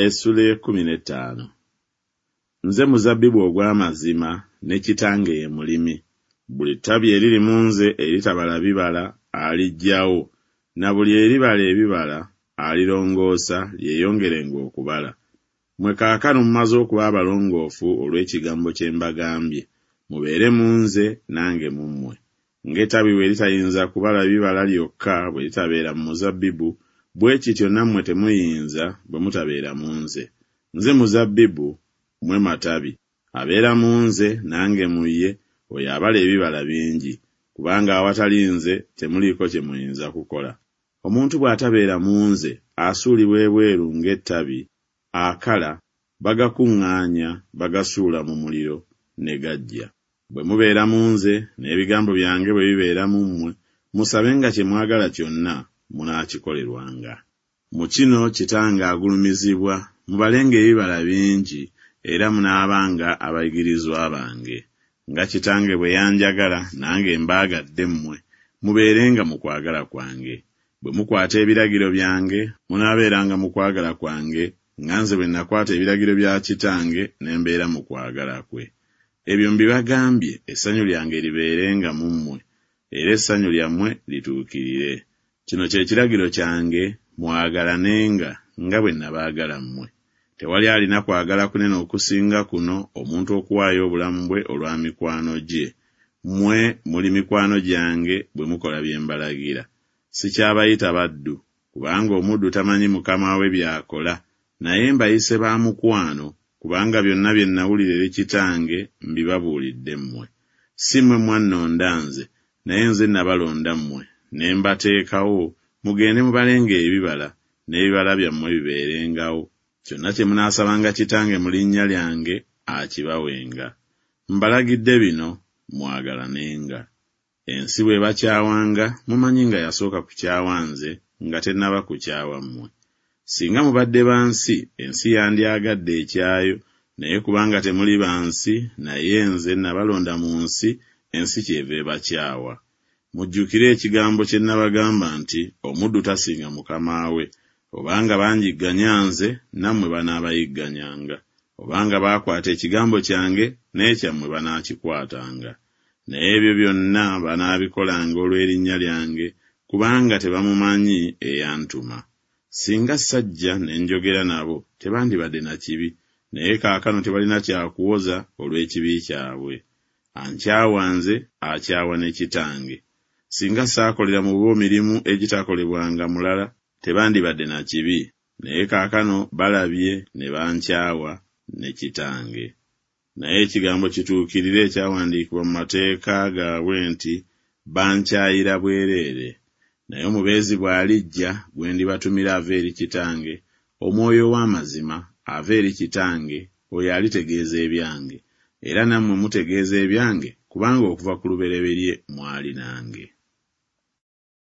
Essula ey'ekkumi n'ettaano. Nze muzabbibu ogw'amazima, ne Kitange ye mulimi. Buli ttabi eriri mu nze eritabala bibala aliggyawo, na buli eribala ebibala alirongoosa lyeyongerenga okubala. Mmwe kaakano mumaze okuba abalongoofu olw'ekigambo kye mbagambye. Mubeere mu nze, nange mu mmwe. Ng'ettabi bwe litayinza kubala bibala lyokka bwe litabeera mu muzabbibu, bwe kityo nammwe temuyinza bwe mutabeera mu nze. Nze muzabbibu, mmwe matabi. Abeera mu nze, nange mu ye, oyo abala ebibala bingi, kubanga awatali nze temuliiko kye muyinza kukola. Omuntu bw'atabeera mu nze, asuulibwa ebweru ng'ettabi, akala, bagakuŋŋaanya, bagasuula mu muliro, ne gaggya. Bwe mubeera mu nze, n'ebigambo byange bwe bibeera mu mmwe, musabenga kye mwagala kyonna, munaakikolerwanga. Mu kino Kitange agulumizibwa, mubalenga ebibala bingi, era munaabanga abayigirizwa bange. Nga Kitange bwe yanjagala, nange mbaagadde mmwe, mubeerenga mu kwagala kwange. Bwe mukwata ebiragiro byange, munaabeeranga mu kwagala kwange, nga nze bwe nakwata ebiragiro bya Kitange ne mbeera mu kwagala kwe. Ebyo mbibagambye essanyu lyange libeerenga mu mmwe, era essanyu lyammwe lituukirire. Kino kye kiragiro kyange, mwagalanenga nga bwe nabaagala mmwe. Tewali alina kwagala kunene okusinga kuno, omuntu okuwaayo obulamu bwe olwa mikwano gye. Mmwe muli mikwano gyange bwe mukola bye mbalagira. Sikyabayita baddu, kubanga omuddu tamanyi mukama we by'akola, naye mbayise ba mukwano, kubanga byonna bye nawulira eri Kitange mbibabuulidde mmwe. Si mmwe mwannonda nze, naye nze nabalonda mmwe, ne mbateekawo, mugende mubalenga ebibala, n'ebibala byammwe bibeerengawo. Kyonna kye munaasabanga Kitange mu linnya lyange, akibawenga. Mbalagidde bino, mwagalanenga. Ensi bw'ebakyawanga, mumanyi nga yasooka kukyawa nze nga tennaba kukyawa mmwe. Singa mubadde ba nsi, ensi yandyagadde ekyayo, naye kubanga temuli ba nsi, naye nze nabalonda mu nsi, ensi kyeva ebakyawa. Mujjukire ekigambo kye nabagamba nti, Omuddu tasinga mukama we. Obanga banjigganya nze, nammwe banaabayigganyanga. Obanga baakwata ekigambo kyange, n'ekyammwe banaakikwatanga. Naye ebyo byonna banaabikolanga olw'erinnya lyange, kubanga tebamumanyi eyantuma. Singa sajja ne njogera nabo, tebandibadde na kibi, naye kaakano tebalina kya kuwoza olw'ekibi kyabwe. Ankyawa nze, akyawa ne Kitange. Singa saakolera mu bo mirimu egitakolebwanga mulala, tebandibadde na kibi, naye kaakano balabye ne bankyawa ne Kitange. Naye ekigambo kituukirire ekyawandiikibwa mu mateeka gaabwe nti, Bankyayira bwereere. Naye Omubeezi bw'alijja, gwe ndibatumira ava eri Kitange, Omwoyo ow'amazima, ava eri Kitange, oyo alitegeeza ebyange. Era nammwe mutegeeza ebyange, kubanga okuva ku lubereberye mwali nange.